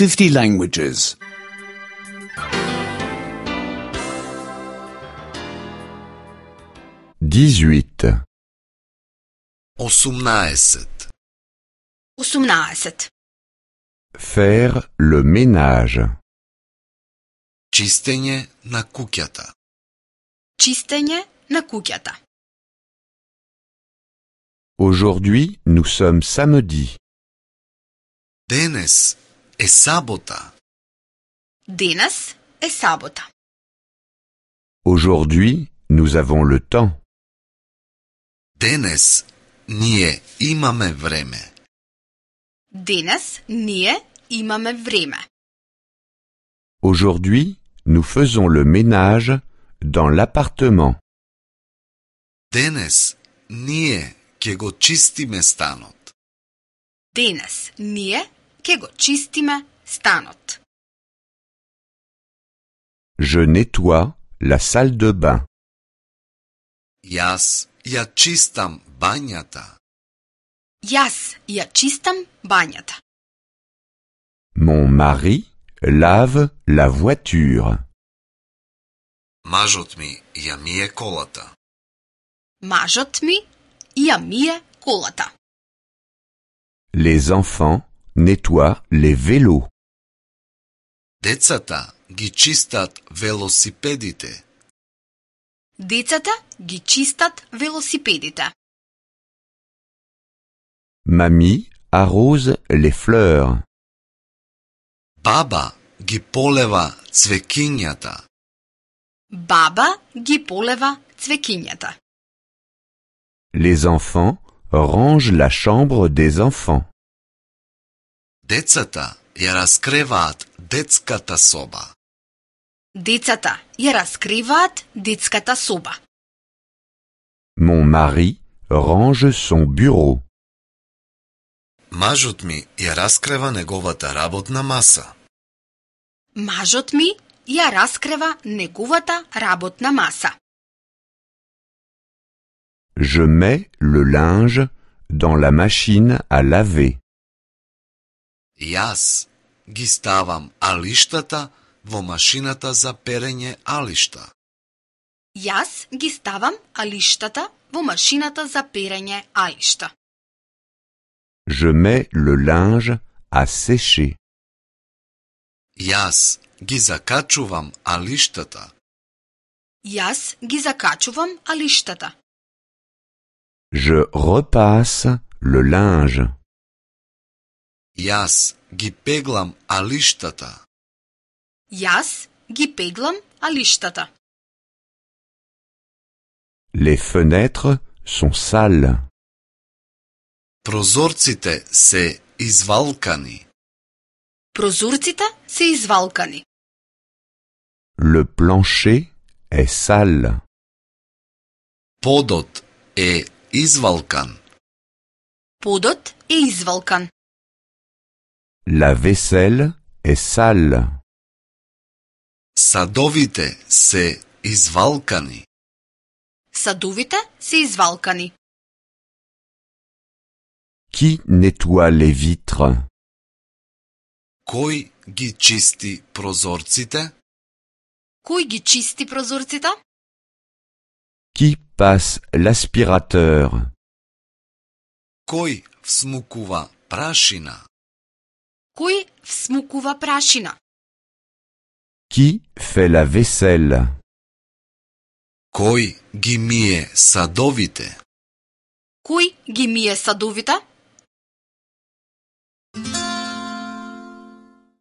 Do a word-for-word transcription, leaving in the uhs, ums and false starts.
fifty languages. dix-huit. осумнаесет. осумнаесет. Faire le ménage. Чистење на куќата. Чистење на куќата. Aujourd'hui, nous sommes samedi. Денес е сабота. Денес е сабота. Aujourd'hui, nous avons le temps. Денес ние имаме време. Денес ние имаме време. Aujourd'hui, nous faisons le ménage dans l'appartement. Денес ние ќе го чистиме станот. Денес ние ќе го чистиме станот. Je nettoie la salle de bain. Јас ја чистам бањата. Јас ја чистам бањата. Mon mari lave la voiture. Мажот ми ја мие колата. Мажот ми ја мие колата. Les enfants nettoient les vélos. Децата ги чистат велосипедите. Децата ги чистат велосипедите. Mamie arrose les fleurs. Баба ги полева цвекињата. Баба ги полева цвекињата. Les enfants rangent la chambre des enfants. Децата ја раскреваат детската соба. Децата ја раскриваат детската соба. Mon mari range son bureau. Мажот ми ја раскрева неговата работна маса. Мажот ми ја раскрева неговата работна маса. Je mets le linge dans la machine à laver. Јас ги ставам алиштата во машината за перење алишта. Јас ги ставам алиштата во машината за перење алишта. Je mets le linge à sécher. Јас ги закачувам алиштата. Јас ги закачувам алиштата. Je repasse le linge. Јас ги пеглам алиштата. Јас ги пеглам алиштата. Les fenêtres sont sales. Прозорците се извалкани. Прозорците се извалкани. Le plancher est sale. Подот е извалкан. Подот е извалкан. La vaisselle est sale. Садовите се извалкани. Садовите се извалкани. Qui nettoie les vitres? Кој ги чисти прозорците? Кој ги чисти прозорците? Qui passe l'aspirateur? Кој всмукува прашина? Кој всмукува прашина? Qui fait la vaisselle? Кој ги мие садовите? Кој ги мие садовите?